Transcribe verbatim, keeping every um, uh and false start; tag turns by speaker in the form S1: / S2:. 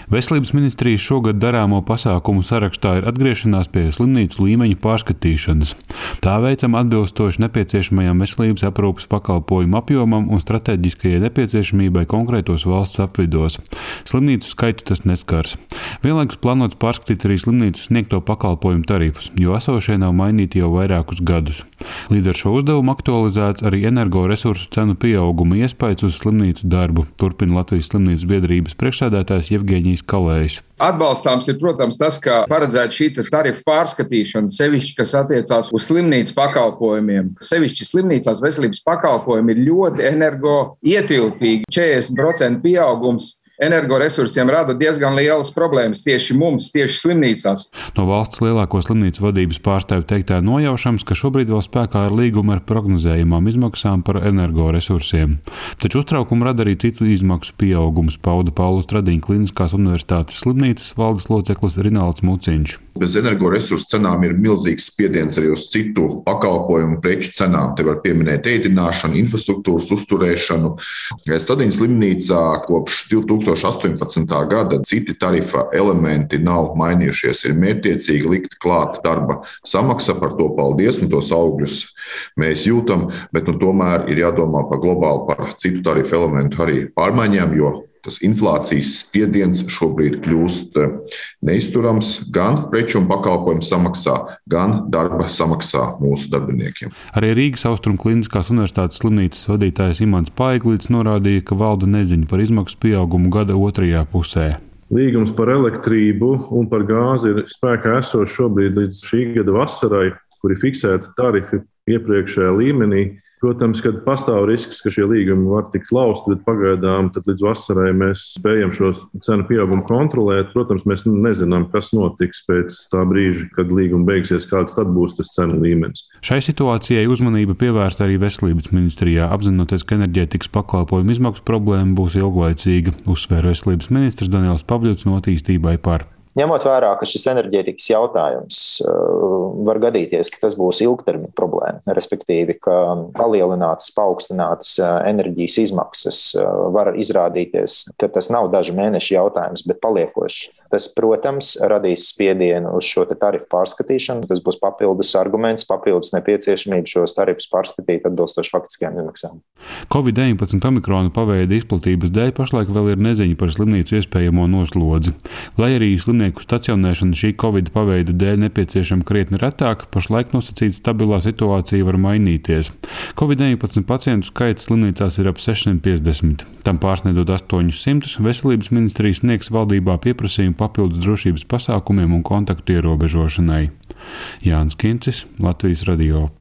S1: Veselības ministrijas šogad darāmo pasākumu sarakstā ir atgriešanās pie slimnīcu līmeņa pārskatīšanas. Tā veicama atbilstoši nepieciešamajam veselības aprūpes pakalpojumu apjomam un stratēģiskajai nepieciešamībai konkrētos valsts apvidos. Slimnīcu skaitu tas neskars. Vienlaikus plānots pārskatīt arī slimnīcu sniegto pakalpojumu tarifus, jo esošie nav mainīti jau vairākus gadus. Līdz ar šo uzdevumu aktualizēts arī energoresursu cenu pieauguma iespējas uz slimnīcu darbu, turpina Latvijas slimnīcu biedrības priekšsēdētājs Jevgeņijs Kalējs.
S2: Atbalstāms ir, protams, tas, ka paredzēta šī tarifu pārskatīšana, sevišķi, kas attiecās uz slimnīcu pakalpojumiem. Sevišķi slimnīcās veselības pakalpojumi ir ļoti energoietilpīgi. četrdesmit procentu pieaugums energoresursiem rada diezgan lielas problēmas tieši mums, tieši slimnīcās.
S1: No valsts lielāko slimnīcu vadības pārstāvju teiktā nojaušams, ka šobrīd vēl spēkā ir līguma ar prognozējumām izmaksām par energoresursiem. Taču uztraukumu rada arī citu izmaksu pieaugums, pauda Paula Stradiņa Kliniskās universitātes slimnīcas valdes loceklis Rinalds Muciņš.
S3: Bez energoresursu cenām ir milzīgs spiediens arī uz citu pakalpojumu preču cenām. Te var pieminēt ēdināšanu, infrastruktūras uzturēšanu. Stradiņas slimnīcā kopš divi tūkstoši astoņpadsmitā gada citi tarifa elementi nav mainījušies. Ir mērķtiecīgi likt klāt darba samaksa, par to paldies, un tos augļus mēs jūtam, bet nu, tomēr ir jādomā par globāli par citu tarifu elementu arī pārmaiņām, jo tas inflācijas spiediens šobrīd kļūst neizturams gan preču un pakalpojumu samaksā, gan darba samaksā mūsu darbiniekiem.
S1: Arī Rīgas Austrumu Kliniskās universitātes slimnīcas vadītājs Imants Paiglīts norādīja, ka valda neziņa par izmaksu pieaugumu gada otrajā pusē.
S4: Līgums par elektrību un par gāzi ir spēkā esošs šobrīd līdz šī gada vasarai, kur ir fiksēti tarifi iepriekšējā līmenī. Protams, ka pastāv risks, ka šie līgumi var tikt lausti, bet pagaidām tad līdz vasarai mēs spējam šo cenu pieaugumu kontrolēt. Protams, mēs nezinām, kas notiks pēc tā brīža, kad līguma beigsies, kāds tad būs tas cenu līmenis.
S1: Šai situācijai uzmanība pievērsta arī Veselības ministrijā, apzinoties, ka enerģētikas pakalpojumu izmaksu problēma būs ilglaicīga, uzsvēra Veselības ministrs Daniels Pavļuts no Attīstībai par.
S5: Ņemot vērā, ka šis enerģētikas jautājums var gadīties, ka tas būs ilgtermiņa problēma, respektīvi, ka palielinātas, paaugstinātas enerģijas izmaksas var izrādīties, ka tas nav dažu mēnešu jautājums, bet paliekošs. Tas, protams, radīs spiedienu uz šo tarifu pārskatīšanu. Tas būs papildus arguments, papildus nepieciešamība šos tarifus pārskatīt atbilstoši faktiskajām izmaksām.
S1: covid deviņpadsmit omikrona paveida izplatības dēļ pašlaik vēl ir neziņa par slimnīcu iespējamo noslodzi. Lai arī slimnieku stacionēšana šī covid paveida dēļ nepieciešama krietni retāk, pašlaik nosacīta stabilā situācija var mainīties. covid deviņpadsmit pacientu skaits slimnīcās ir ap sešsimt piecdesmit. Tam pārsniedzot astoņus simtus, Veselības ministrija sniegs valdībā pieprasījumu papildus drošības pasākumiem un kontaktu ierobežošanai. Jānis Kincis, Latvijas radio.